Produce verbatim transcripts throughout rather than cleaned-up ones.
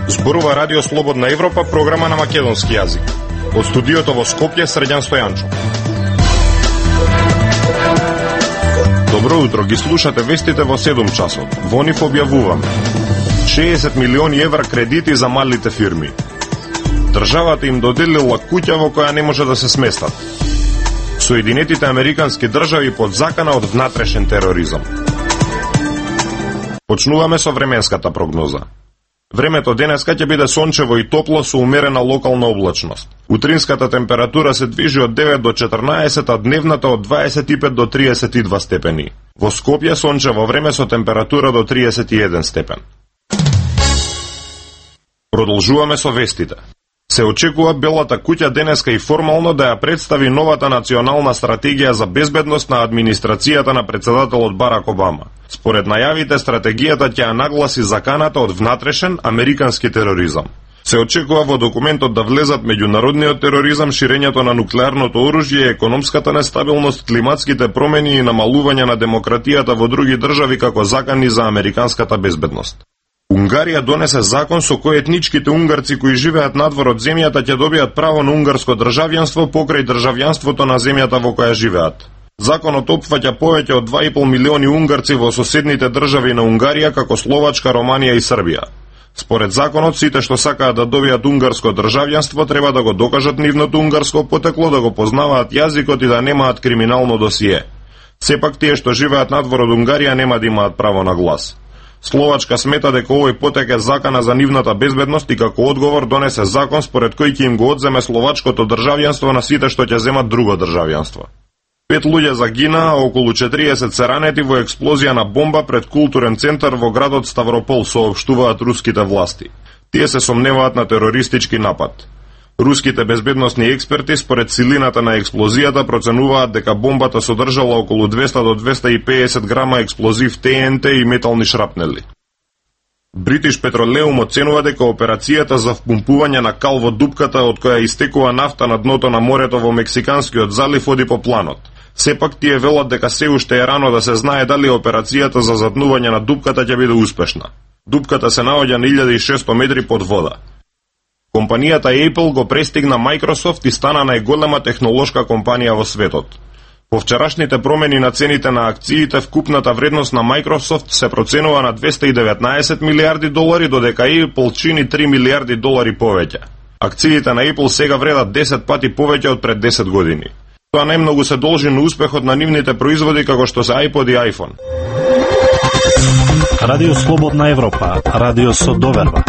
Зборува Радио Слободна Европа, програма на македонски јазик. Од студиото во Скопје, Средјан Стојанчо. Добро утро, ги слушате вестите во седум часот. Во нив објавуваме шеесет милиони евра кредити за малите фирми. Државата им доделила куќа во која не може да се сместат. Соединетите американски држави под закана од внатрешен тероризам. Почнуваме со временската прогноза. Времето денеска ќе биде сончево и топло со умерена локална облачност. Утринската температура се движи од девет до четрнаесет, а дневната од дваесет и пет до триесет и два степени. Во Скопје сончево време со температура до триесет и еден степен. Продолжуваме со вестите. Се очекува Белата куќа денеска и формално да ја представи новата национална стратегија за безбедност на администрацијата на председателот Барак Обама. Според најавите, стратегијата ќе ја нагласи заканата од внатрешен американски тероризам. Се очекува во документот да влезат меѓународниот тероризам, ширењето на нуклеарното оружје, економската нестабилност, климатските промени и намалување на демократијата во други држави како закани за американската безбедност. Унгарија донесе закон со кој етничките унгарци кои живеат надвор од земјата ќе добијат право на унгарско државјанство покрај државјанството на земјата во која живеат. Законот опфаќа повеќе од два и пол милиони унгарци во соседните држави на Унгарија како Словачка, Романија и Србија. Според законот, сите што сакаат да добијат унгарско државјанство треба да го докажат нивното унгарско потекло, да го познаваат јазикот и да немаат криминално досие. Сепак тие што живеат надвор од Унгарија нема да имаат право на глас. Словачка смета дека овој потек е закана за нивната безбедност и како одговор донесе закон според кој ќе им го одземе словачкото државјанство на сите што ќе земат друго државјанство. Пет луѓе загинаа, а околу четириесет се ранети во експлозија на бомба пред културен центар во градот Ставропол, соопштуваат руските власти. Тие се сомневаат на терористички напад. Руските безбедносни експерти според силината на експлозијата проценуваат дека бомбата содржала околу двеста до двеста и педесет грама експлозив Т Н Т и метални шрапнели. Бритиш Петролеум оценува дека операцијата за впумпување на кал во дупката од која истекува нафта на дното на морето во Мексиканскиот залив оди по планот. Сепак тие велат дека се уште е рано да се знае дали операцијата за затнување на дупката ќе биде успешна. Дупката се наоѓа на илјада и шесто метри под вода. Компанијата Apple го престигна Microsoft и стана најголема технолошка компанија во светот. По вчерашните промени на цените на акциите, вкупната вредност на Microsoft се проценува на двеста и деветнаесет милиарди долари, додека Apple чини три милиарди долари повеќе. Акциите на Apple сега вредат десет пати повеќе од пред десет години. Тоа најмногу се должи на успехот на нивните производи како што се iPod и iPhone. Радио Слободна Европа, радио со доверба.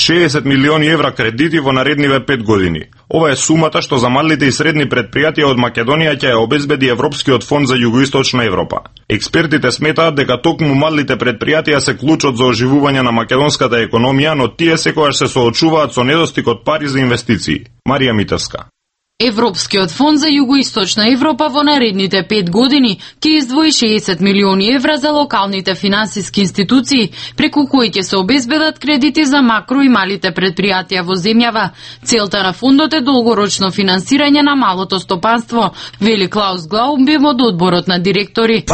шеесет милиони евра кредити во наредниве пет години. Ова е сумата што за малите и средни предпријатија од Македонија ќе ја обезбеди Европскиот фонд за Југоисточна Европа. Експертите сметаат дека токму малите предпријатија се клучот за оживување на македонската економија, но тие секогаш се соочуваат со недостиг од пари за инвестиции. Марија Митевска. Европскиот фонд за Југоисточна Европа во наредните пет години ќе издвои шеесет милиони евра за локалните финансиски институции, преку кои ќе се обезбедат кредити за макро и малите предпријатија во земјава. Целта на фондот е долгорочно финансирање на малото стопанство, вели Клаус Глаубим од одборот на директори.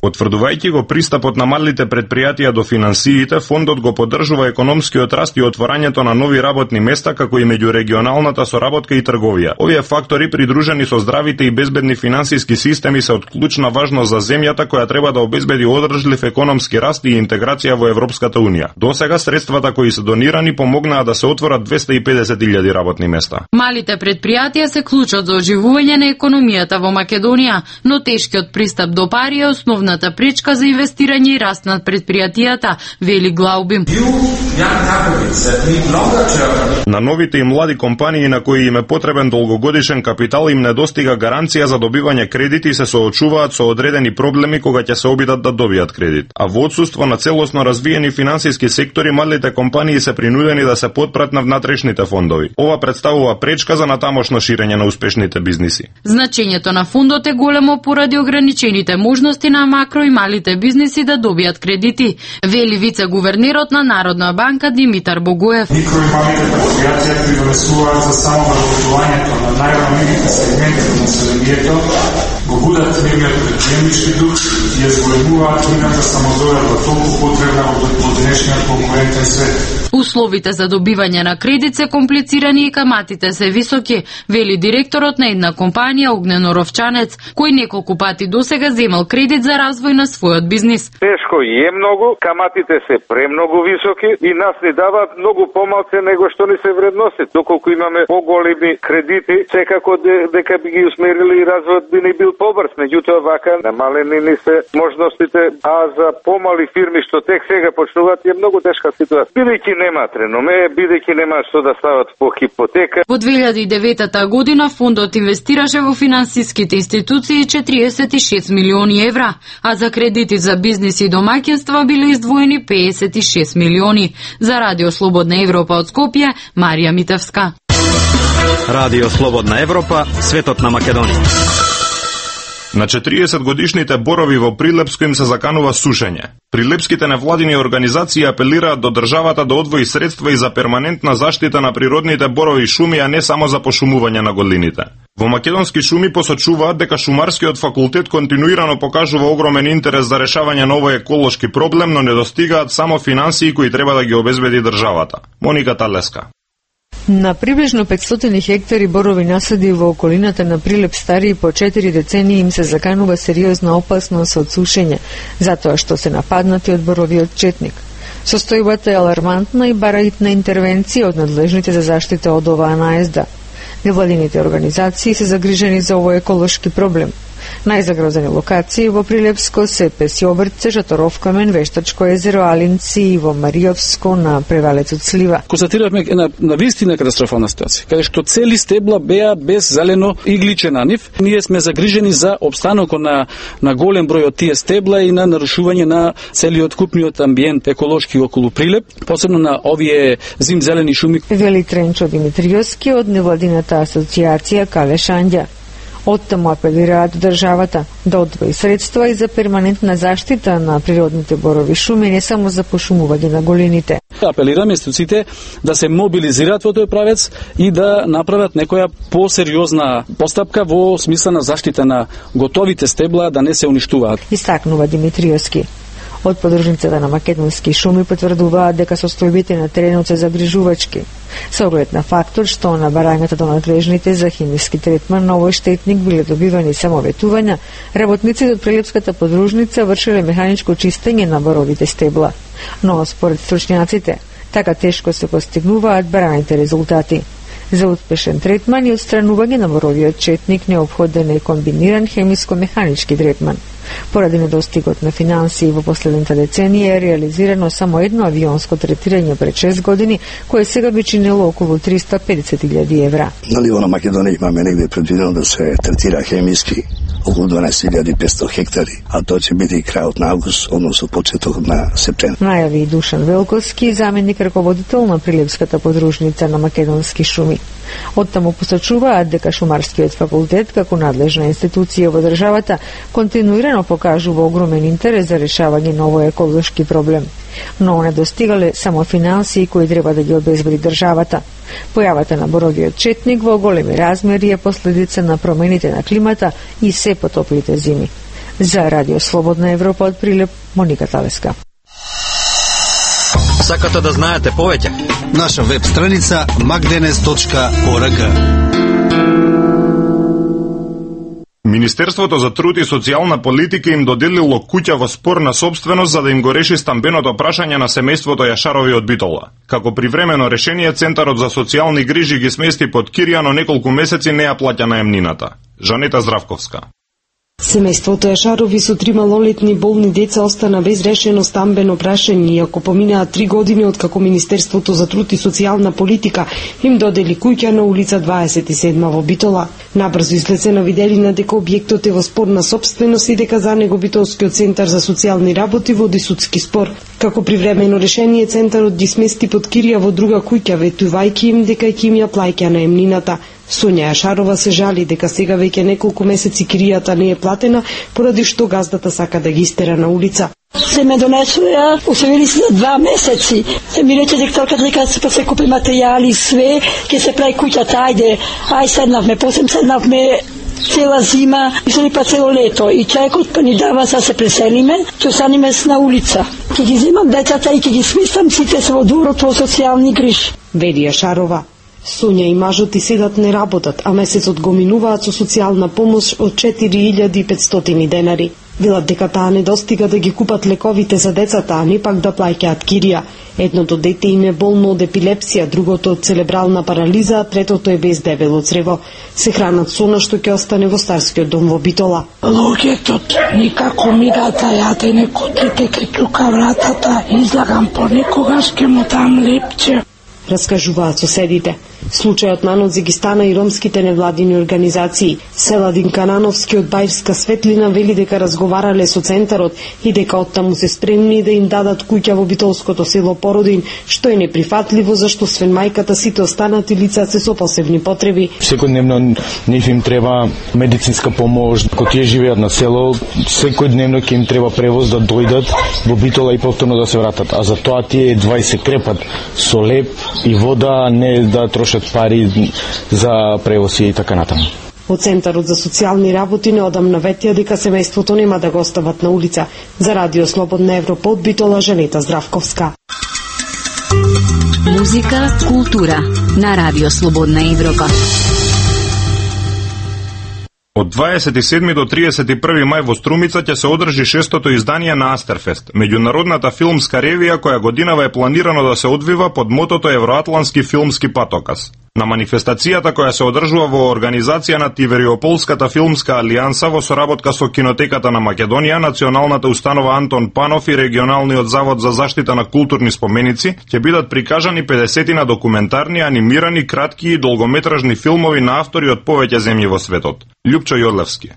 Потврдувајќи го пристапот на малите предпријатија до финансиите, фондот го поддржува економскиот раст и отворањето на нови работни места, како и меѓурегионалната соработка и трговија. Овие фактори, придружени со здравите и безбедни финансиски системи, се од клучна важност за земјата која треба да обезбеди одржлив економски раст и интеграција во Европската унија. Досега средствата кои се донирани помогнаа да се отворат двеста и педесет илјади работни места. Малите предпријатија се клучот за оживување на економијата во Македонија, но тешкиот пристап до пари е основната пречка за инвестирање и раст над предпријатијата, вели Глаубим. На новите и млади компании на кои им е потребен долгогодишен капитал им недостига гаранција за добивање кредити и се соочуваат со одредени проблеми кога ќе се обидат да добијат кредит. А во отсуство на целосно развиени финансиски сектори, малите компании се принудени да се потпрат на внатрешните фондови. Ова представува пречка за натамошно ширење на успешните бизниси. Значењето на фондот е големо поради ограничените можности на макро и малите бизниси да добијат кредити, вели вице-гувернерот на Народна банка Димитар Богоев. компанијата асоциација придонесуваат за самовработувањето на најранливите сегменти на населението, го будат нивниот предприемнички дух и ја зголемуваат нивната самодоверба толку потребна во денешниот конкурентен свет. Условите за добивање на кредит се комплицирани и каматите се високи, вели директорот на една компанија Огнено Ровчанец, кој неколку пати досега земал кредит за развој на својот бизнис. Тешко е многу, каматите се премногу високи и нас ни даваат многу помалце него што ни се вредности. Доколку имаме поголеми кредити, секако дека би ги усмерили и развојот би ни бил побрз, меѓутоа вака намалени ни се можностите, а за помали фирми што тек сега почнуваат е многу тешка ситуација. Бидејќи немаат реноме, бидејќи немаат што да стават по хипотека. Во две илјади и девета година фондот инвестираше во финансиските институции четириесет и шест милиони евра, а за кредити за бизнис и домаќинства биле издвоени педесет и шест милиони. За Радио Слободна Европа од Скопје, Марија Митевска. Радио Слободна Европа, светот на Македонија. На четириесет годишните борови во Прилепско им се заканува сушење. Прилепските невладини организации апелираат до државата да одвои средства и за перманентна заштита на природните борови и шуми, а не само за пошумување на голините. Во Македонски шуми посочуваат дека Шумарскиот факултет континуирано покажува огромен интерес за решавање на овој еколошки проблем, но недостигаат само финансии кои треба да ги обезбеди државата. Моника Талеска. На приближно петстотини хектари борови насади во околината на Прилеп стари по четири децении им се заканува сериозна опасност од сушење, затоа што се нападнати од боровиот четник. Состојбата е алармантна и бара хитна интервенција од надлежните за заштита од оваа наезда. Невладините организации се загрижени за овој еколошки проблем. Најзагрозени локации во Прилепско се Песјоврце, Жаторовкамен, Вештачко езеро, Алинци и во Маријовско на превалецот Слива. Констатиравме една навистина катастрофална ситуација, каде што цели стебла беа без зелено игличе на нив. Ние сме загрижени за опстанокот на на голем број од тие стебла и на нарушување на целиот купниот амбиент еколошки околу Прилеп, посебно на овие зимзелени шуми. Вели Тренчо Димитриевски од невладината асоциација Калешања. Оттаму апелираат државата да одвои средства и за перманентна заштита на природните борови шуми, не само за пошумување на голините. Апелираме институциите да се мобилизираат во тој правец и да направат некоја посериозна постапка во смисла на заштита на готовите стебла, да не се уништуваат. Истакнува Димитриевски. Од подружницата на македонски шуми потврдуваат дека состојбите на теренот се загрижувачки, со оглед на фактор што на барањата до надлежните за химиски третман на овој штетник биле добивани само ветувања, работниците од Прилепската подружница вршеле механичко чистење на боровите стебла. Но според стручњаците, така тешко се постигнуваат бараните резултати. За успешен третман и отстранување на боровиот четник неопходен е комбиниран хемиско-механички третман. Поради недостигот на финансии во последната деценија е реализирано само едно авионско третирање пред шест години, кое сега би чинело околу триста и педесет илјади евра. Нали во Македонија имаме негде предвидено да се третира хемиски околу дванаесет илјади и петстотини хектари, а тоа ќе биде и крајот на август, односно почетокот на септември. Најави и Душан Велковски, заменик раководител на Прилепската подружница на македонски шуми. Оттаму посочуваат дека Шумарскиот факултет, како надлежна институција во државата, континуирано покажува огромен интерес за решавање на овој еколошки проблем. Но не достигале само финансии кои треба да ги обезбеди државата. Појавата на боровиот четник во големи размери е последица на промените на климата и се потоплите зими. За Радио Слободна Европа од Прилеп, Моника Талеска. Сакате да знаете повеќе? Наша веб страница magdenes точка org. Министерството за труд и социјална политика им доделило куќа во спор на собственост за да им го реши стамбеното прашање на семејството Јашарови од Битола. Како привремено решение, Центарот за социјални грижи ги смести под кирија, но неколку месеци не ја плаќа наемнината. Жанета Здравковска. Семејството Јашарови со трима малолетни болни деца остана без решено стамбено прашање, иако поминаа три години од како Министерството за труд и социјална политика им додели куќа на улица дваесет и седма во Битола. Набрзо излезена виделина дека објектот е во спорна собственост и дека за него Битолскиот центар за социјални работи води судски спор. Како привремено решение, центарот ги смести под кирија во друга куќа, ветувајќи им дека ќе им ја плаќа наемнината. Сонја Јашарова се жали дека сега веќе неколку месеци киријата не е платена, поради што газдата сака да ги истера на улица. Се ме донесоја, усвоили се два месеци. Се ми рече директорка дека се се купи материјали, све, ќе се прави куќата, ајде, ај седнавме, после седнавме цела зима, мисли па цело лето и човекот па ни дава за се преселиме, ќе останеме на улица. Ќе ги земам децата и ќе ги смислам сите се во дворот во социјални грижи. Велија Шарова. Сонја и мажот и седат не работат, а месецот го минуваат со социјална помош од четири илјади и петстотини денари. Велат дека таа не достига да ги купат лековите за децата, а не пак да плаќаат кирија. Едното дете им е болно од епилепсија, другото од церебрална парализа, а третото е без дебело црево. Се хранат со она што ќе остане во старскиот дом во Битола. Луѓето никако ми да јаде некотлите ке чука вратата, излагам понекогаш ке му дам лепче. Раскажуваат соседите. Случајот нанози ги стана и ромските невладини организации. Селадин Канановски од Бајрска Светлина вели дека разговарале со центарот и дека оттаму се спремни да им дадат куќа во битолското село Породин, што е неприфатливо зашто свен мајката сите останати лица се со посебни потреби. Секојдневно нив им треба медицинска помош, кога тие живеат на село, секојдневно ќе им треба превоз да дојдат во Битола и повторно да се вратат, а за тоа тие едва и се крепат со леп и вода, не да трошат пари за превоз и така натаму. Од Центарот за социјални работи неодамна ветија дека семејството нема да го остават на улица. За Радио Слободна Европа од Битола, Жанета Здравковска. Музика, култура на Радио Слободна Европа. Од дваесет и седми до триесет и први мај во Струмица ќе се одржи шестото издание на Астерфест, меѓународната филмска ревија која годинава е планирано да се одвива под мотото Евроатлански филмски патоказ. На манифестацијата која се одржува во организација на Тивериополската филмска алијанса во соработка со Кинотеката на Македонија, Националната установа Антон Панов и Регионалниот завод за заштита на културни споменици, ќе бидат прикажани педесетина документарни, анимирани, кратки и долгометражни филмови на автори од повеќе земји во светот. Љупчо Јодлевски.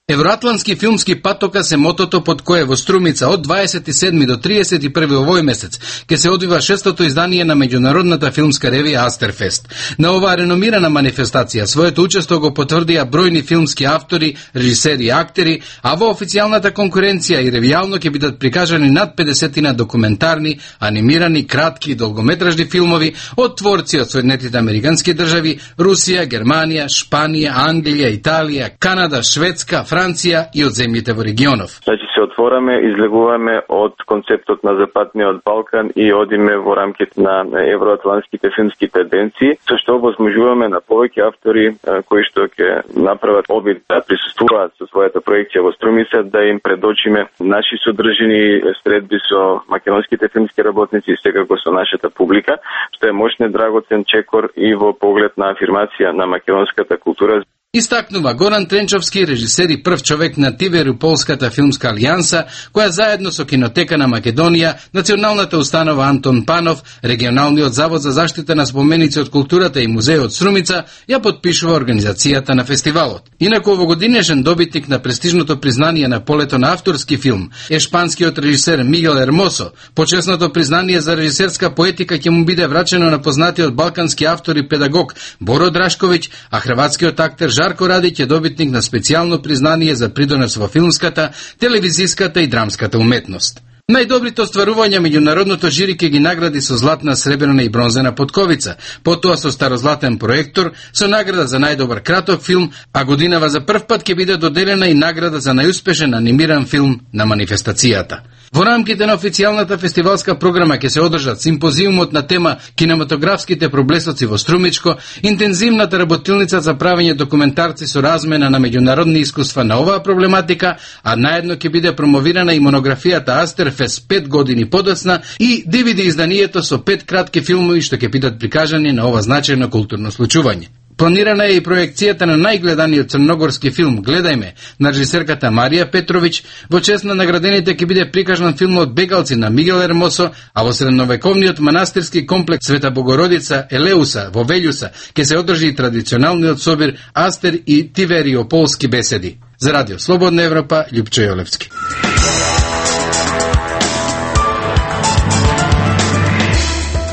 Евроатлански филмски патоказ е мотото под кое во Струмица од дваесет и седми до триесет и први овој месец ќе се одвива шестото издание на меѓународната филмска ревија Астерфест. На оваа реномирана манифестација своето учество го потврдија бројни филмски автори, режисери и актери, а во официјалната конкуренција и ревијално ќе бидат прикажани над педесетина документарни, анимирани, кратки и долгометражни филмови од творци од Соединетите Американски држави, Русија, Германија, Шпанија, Англија, Италија, Канада, Шведска, Франција и од земјите во регионов. Значи се отвораме, излегуваме од концептот на Западниот Балкан и одиме во рамките на евроатлантските филмски тенденции, со што возможуваме на повеќе автори кои што ќе направат обид да присуствуваат со својата проекција во Струмица, да им предочиме наши содржини средби со македонските филмски работници и секако со нашата публика, што е мощен драгоцен чекор и во поглед на афирмација на македонската култура. Истакнува Горан Тренчовски, режисер и прв човек на Тивериополската филмска алијанса, која заедно со Кинотека на Македонија, Националната установа Антон Панов, Регионалниот завод за заштита на споменици од културата и музејот Струмица, ја подпишува организацијата на фестивалот. Инаку овогодинешен добитник на престижното признание на полето на авторски филм е шпанскиот режисер Мигел Ермосо. Почесното признание за режисерска поетика ќе му биде врачено на познатиот балкански автор и педагог Боро Драшковиќ, а хрватскиот актер Жарко Радиќ е добитник на специјално признание за придонес во филмската, телевизиската и драмската уметност. Најдобрите остварувања меѓународното жири ќе ги награди со златна, сребрена и бронзена потковица, потоа со старозлатен проектор, со награда за најдобар краток филм, а годинава за прв пат ќе биде доделена и награда за најуспешен анимиран филм на манифестацијата. Во рамките на официјалната фестивалска програма ќе се одржат симпозиумот на тема кинематографските проблесоци во Струмичко, интензивната работилница за правење документарци со размена на меѓународни искуства на оваа проблематика, а наедно ќе биде промовирана и монографијата Астерфест пет години подоцна и ди ви ди изданието со пет кратки филмови што ќе бидат прикажани на ова значајно културно случување. Планирана е и проекцијата на најгледаниот црногорски филм "Гледајме" на режисерката Марија Петровиќ. Во чест на наградените ќе биде прикажан филмот "Бегалци" на Мигел Ермосо, а во средновековниот манастирски комплекс Света Богородица Елеуса во Велјуса ќе се одржи и традиционалниот собир Астер и Тивериополски беседи. За Радио Слободна Европа, Љупчо Јолевски.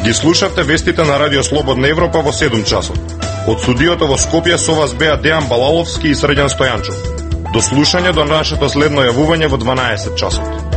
Ги слушавте вестите на Радио Слободна Европа во седум часот. Од студиото во Скопје со вас беа Дејан Балаловски и Срđan Стојанчов. До слушање до нашето следно јавување во дванаесет часот.